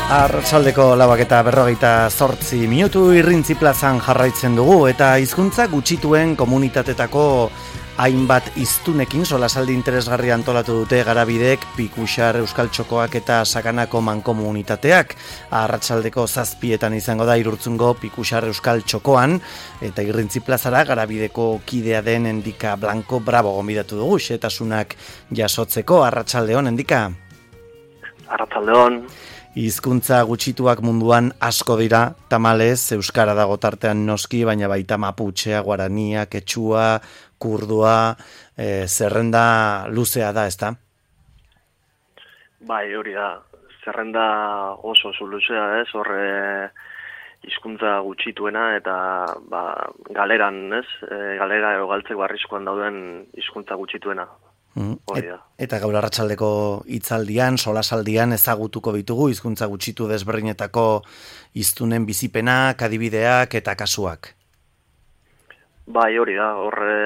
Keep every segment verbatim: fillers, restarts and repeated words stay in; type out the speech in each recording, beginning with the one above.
Arratsaldeko lauak eta berrogeita zortzi minutu Irrintzi plazan jarraitzen dugu eta hizkuntza gutxituen komunitatetako hainbat hiztunekin solasaldi interesgarri antolatu dute Garabidek, Pikuxar, Euskal Txokoak eta Sakanako mankomunitateak. Arratsaldeko zazpietan izango da Irurtzungo Pikuxar Euskal Txokoan eta Irrintzi plazara Garabideko kidea den Endika Blanco Bravo gonbidatu dugu xetasunak jasotzeko. Arratsaldeon Endika. Arratsaldeon. Hizkuntza gutxituak munduan asko dira, tamalez, euskara dago tartean noski, baina baita maputxea, guarania, ketxua, kurdua, e, zerrenda luzea da, ezta? Bai, hori da, zerrenda oso oso luzea, ez, horre hizkuntza gutxituena eta ba, galeran, ez, e, galera edo galtzeko arriskuan dauden hizkuntza gutxituena. Mm. Et, eta gaur arratsaldeko hitzaldian, solasaldian ezagutuko ditugu hizkuntza gutxitu desberdinetako hiztunen bizipenak, adibideak eta kasuak. Bai, hori da, horre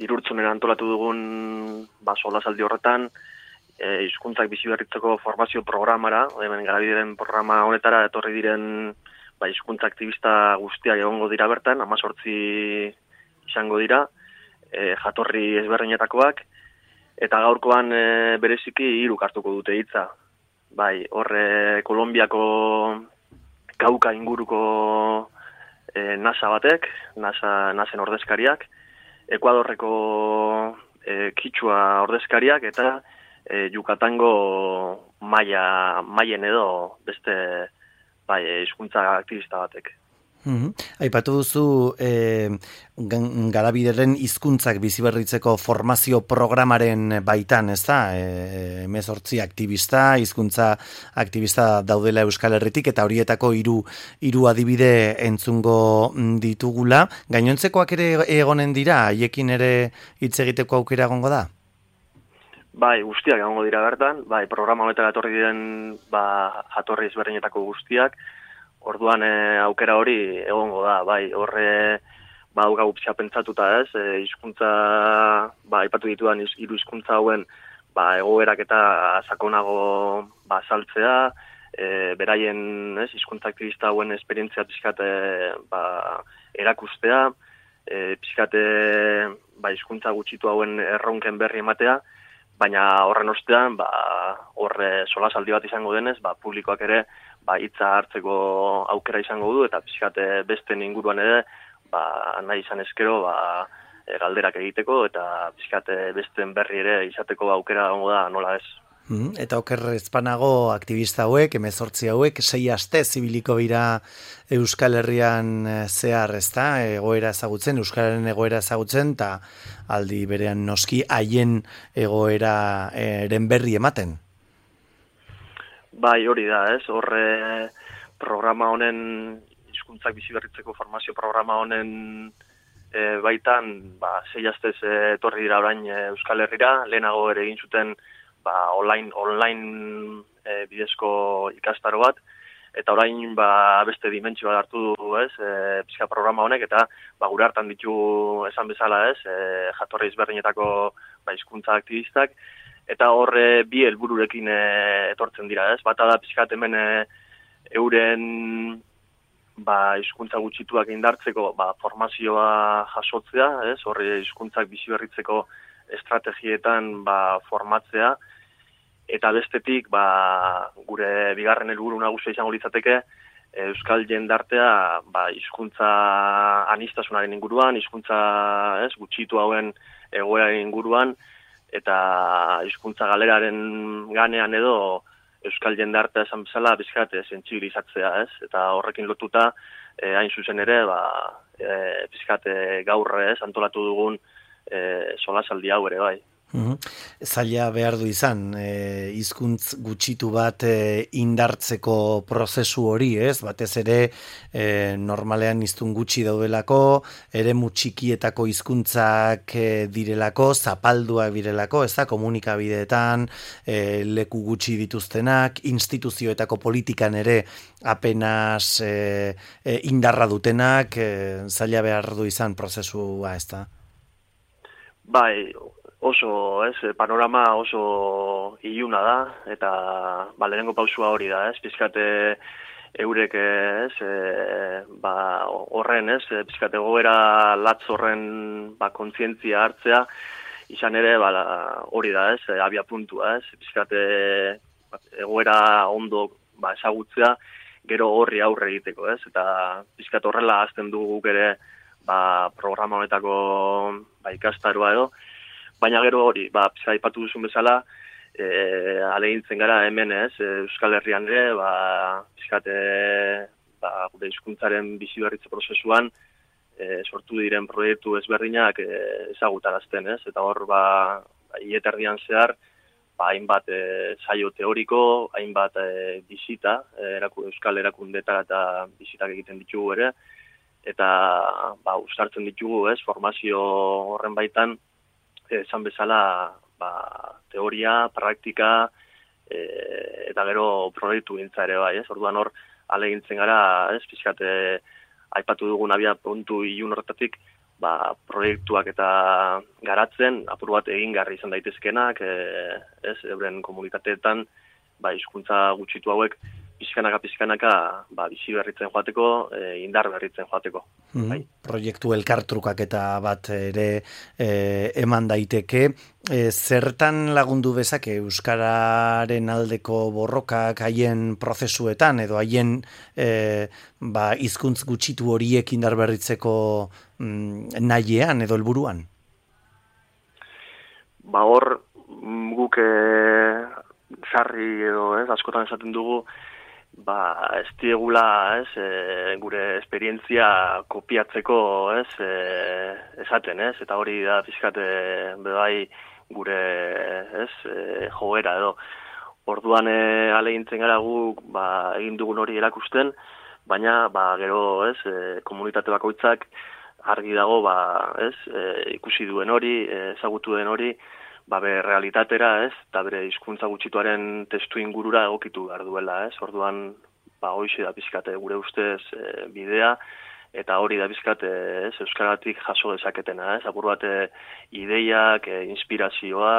Irurtzunen antolatu dugun ba, solasaldi horretan, e, hizkuntzak bizi berritzeko formazio programara, hemen Garabideren programa honetara etorri diren ba, hizkuntza aktivista guztiak egongo dira bertan, hemezortzi izango dira, E, jatorri ezberdinetakoak, eta gaurkoan e, bereziki hiruk hartuko dute hitza. Bai, horre Kolonbiako Kauka inguruko e, NASA batek, NASA, NASen ordezkariak, Ekuadorreko e, Kitxua ordezkariak, eta e, Yucatango Maya, Mayen edo beste bai, hizkuntza aktivista batek. Mm-hmm. Aipatu duzu e, Garabideren hizkuntzak biziberritzeko formazio programaren baitan, ez da? E, hemezortzi aktivista, hizkuntza aktivista daudela Euskal Herritik eta horietako hiru hiru adibide entzungo ditugula. Gainontzekoak ere egonen dira, haiekin ere hitz egiteko aukera egongo da? Bai, guztiak egongo dira bertan, bai, programa honetara etorri diren ba, jatorri ezberdinetako guztiak. Orduan e, aukera hori egongo da, bai, horre badaukagu pixka pentsatuta ez, e, hizkuntza, ba, aipatu ditudan hiru hizkuntza hauen ba, egoerak eta sakonago ba, saltzea, e, beraien ez, hizkuntza aktivista hauen esperientzia pixkate ba, erakustea, e, pixkate ba, hizkuntza gutxitu hauen erronken berri ematea, baina horren ostean, ba, horre solasaldi bat izango denez, ba, publikoak ere ba, hitza hartzeko aukera izango du, eta pixkate besten inguruan ere, ba, nahi izan eskero, ba, e, galderak egiteko, eta pixkate besten berri ere izateko aukera gongo da, nola ez. Mm, eta oker ezpanago aktivista hauek, hemezortzi hauek, sei aste zibiliko dira Euskal Herrian zehar, ezta? Egoera ezagutzen, Euskararen egoera ezagutzen, eta aldi berean noski haien egoera eren berri ematen. Bai, hori da, ez? Horre programa honen, hizkuntzak biziberritzeko formazio programa honen e, baitan, ba, sei astez etorri dira orain e, Euskal Herrira, lehenago ere egin zuten ba, online, online e, bidezko ikastaro bat, eta orain ba, beste dimentsio bat hartu du, ez, e, pixka programa honek, eta ba, gure hartan ditu esan bezala, ez, e, jatorri ezberdinetako ba, hizkuntza aktivistak, eta horre bi helbururekin e, etortzen dira, ez? Bata da pixkat hemen e, euren ba, hizkuntza gutxituak indartzeko ba, formazioa jasotzea, ez? Horre hizkuntzak biziberritzeko estrategietan ba, formatzea, eta bestetik ba, gure bigarren helburu nagusia izango litzateke euskal jendartea ba, hizkuntza anistasunaren inguruan, hizkuntza ez, gutxitu hauen egoeraren inguruan, eta hizkuntza galeraren ganean edo euskal jendartea esan bezala bizkat sentsibilizatzea, ez? Eta horrekin lotuta e, hain zuzen ere, ba, e, bizkat gaur ez antolatu dugun e, solasaldi hau ere bai. Uhum. Zaila behar du izan, e, hizkuntz gutxitu bat e, indartzeko prozesu hori, ez? Batez ere e, normalean hiztun gutxi daudelako, eremu txikietako hizkuntzak e, direlako, zapalduak direlako, ez da, komunikabideetan, e, leku gutxi dituztenak, instituzioetako politikan ere apenas e, e, indarra dutenak, e, zaila behar du izan prozesua, ez da? Bai, oso, ez, panorama oso iluna da, eta ba, lehenengo pausua hori da, ez, pizkate eurek, ez, e, ba, horren, ez, pizkate goera latz horren ba, kontzientzia hartzea, izan ere, ba, hori da, ez, abia puntua, ez, pizkate egoera ondo ba, ezagutzea, gero horri aurre egiteko, ez, eta pizkate horrela azten dugu ere, ba, programa honetako ba, ikastaroa edo, baina gero hori, ba, pizka aipatu duzun bezala, e, alegintzen gara hemen ez, Euskal Herrian ere, ba, pizkate, ba, gure hizkuntzaren bizi berritze prozesuan, e, sortu diren proiektu ezberdinak e, ezagutarazten, ez? Eta hor, ba, hileterdian zehar, ba, hainbat e, saio teoriko, hainbat e, bisita, e, eraku, Euskal erakundetara eta bisitak egiten ditugu ere, eta ba, uztartzen ditugu, ez, formazio horren baitan, esan bezala, ba, teoria, praktika, e, eta gero proiektu gintza ere bai, ez? Orduan hor, alegintzen gara, ez, pizkate, aipatu dugun abia puntu ilun horretatik, ba, proiektuak eta garatzen, apur bat egingarri izan daitezkenak, e, ez, euren komunitateetan, ba, hizkuntza gutxitu hauek, pizkanaka, pizkanaka, ba, bizi berritzen joateko, e, indar berritzen joateko. Mm-hmm. Bai. Proiektu elkartrukak eta bat ere e, eman daiteke. E, zertan lagundu bezake Euskararen aldeko borrokak haien prozesuetan, edo haien e, ba, hizkuntz gutxitu horiek indar berritzeko mm, nahiean edo helburuan? Ba hor, guk e, sarri edo, ez, askotan esaten dugu, ba, ez diegula, ez, e, gure esperientzia kopiatzeko, ez, e, esaten, ez, eta hori da pizkate bebai gure, ez, e, joera edo. Orduan e, alegintzen gara guk, ba, egin dugun hori erakusten, baina, ba, gero, ez, e, komunitate bakoitzak argi dago, ba, ez, e, ikusi duen hori, e, ezagutu den hori, ba, bere realitatera, ez, eta bere hizkuntza gutxituaren testu ingurura egokitu behar duela, ez, orduan, ba, hoize da pizkate gure ustez e, bidea, eta hori da pizkate, ez, euskaratik jaso dezaketena, ez, apur bat ideiak, e, inspirazioa,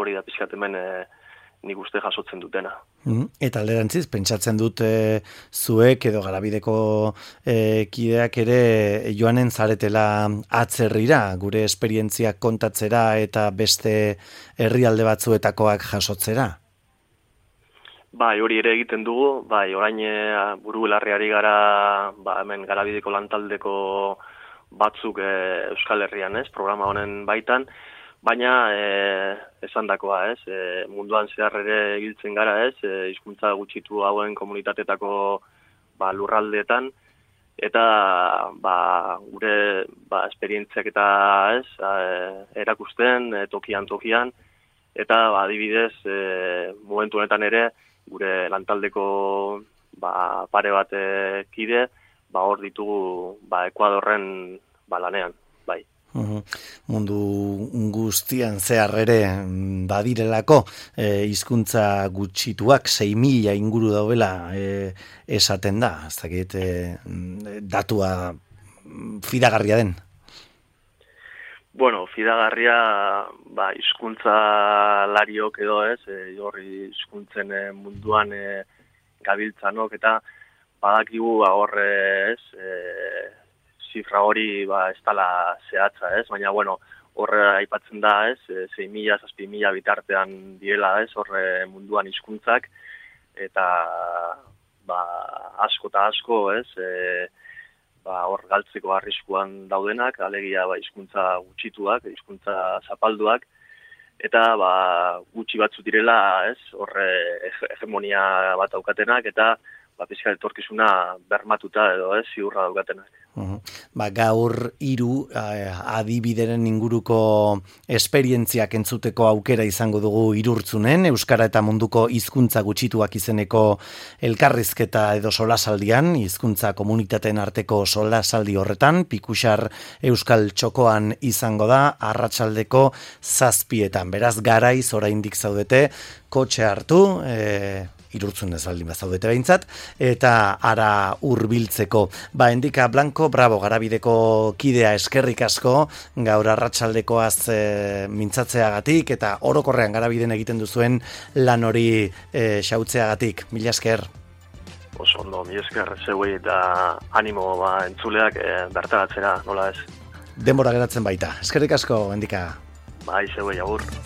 hori da pizkate hemen e, nik uste jasotzen dutena. Mm, eta alderantziz, pentsatzen dut e, zuek edo Garabideko e, kideak ere joanen zaretela atzerrira, gure esperientziak kontatzera eta beste herrialde batzuetakoak jasotzera? Bai, hori ere egiten dugu, bai, orain e, buru belarriari gara, ba, hemen Garabideko lantaldeko batzuk e, Euskal Herrian, ez, programa honen baitan, baina e, esandakoa, ez, e, munduan zehar ere egiltzen gara, ez, e, hizkuntza gutxitu hauen komunitatetako ba, lurraldeetan, eta ba, gure ba, esperientziak eta ez, e, erakusten, e, tokian tokian, eta ba, adibidez, e, momentu honetan ere, gure lantaldeko ba, pare bat e, kide, ba, hor ditugu ba, Ekuadorren ba, lanean, bai. Uhum. Mundu guztian zehar ere badirelako e, hizkuntza gutxituak sei mila inguru daudela e, esaten da, ez dakit e, datua fidagarria den. Bueno, fidagarria ba, hizkuntza lariok edo ez, e, horri hizkuntzen e, munduan e, gabiltzanok eta badakigu horre ez, e, zifra hori ba, ez dala zehatza, ez? Baina, bueno, horre aipatzen da, ez? sei mila, zazpi mila bitartean direla, ez? Horre munduan hizkuntzak eta ba, asko eta asko, ez? E, ba, hor galtzeko arriskuan daudenak, alegia ba, hizkuntza gutxituak, hizkuntza zapalduak, eta ba, gutxi batzu direla, ez? Horre hegemonia bat daukatenak, eta ba, pizka etorkizuna bermatuta edo, ez? Ziurra daukatenak. Uhum. Ba, gaur hiru eh, adibideren inguruko esperientziak entzuteko aukera izango dugu Irurtzunen, Euskara eta munduko hizkuntza gutxituak izeneko elkarrizketa edo solasaldian, hizkuntza komunitateen arteko solasaldi horretan, Pikuxar Euskal Txokoan izango da, arratsaldeko zazpietan. Beraz, garaiz oraindik zaudete, kotxe hartu, eh, irurtzun ez baldin bazaudete behintzat, eta ara hurbiltzeko. Ba, Endika Blanco, bravo, Garabideko kidea eskerrik asko, gaur arratsaldekoaz e, mintzatzeagatik, eta orokorrean Garabiden egiten duzuen lan hori e, xautzeagatik. Mila esker. Oso ondo, mila esker zeuei eta animo ba, entzuleak e, bertaratzera, nola ez. Denbora geratzen baita. Eskerrik asko, Endika. Bai, zeuei, agur.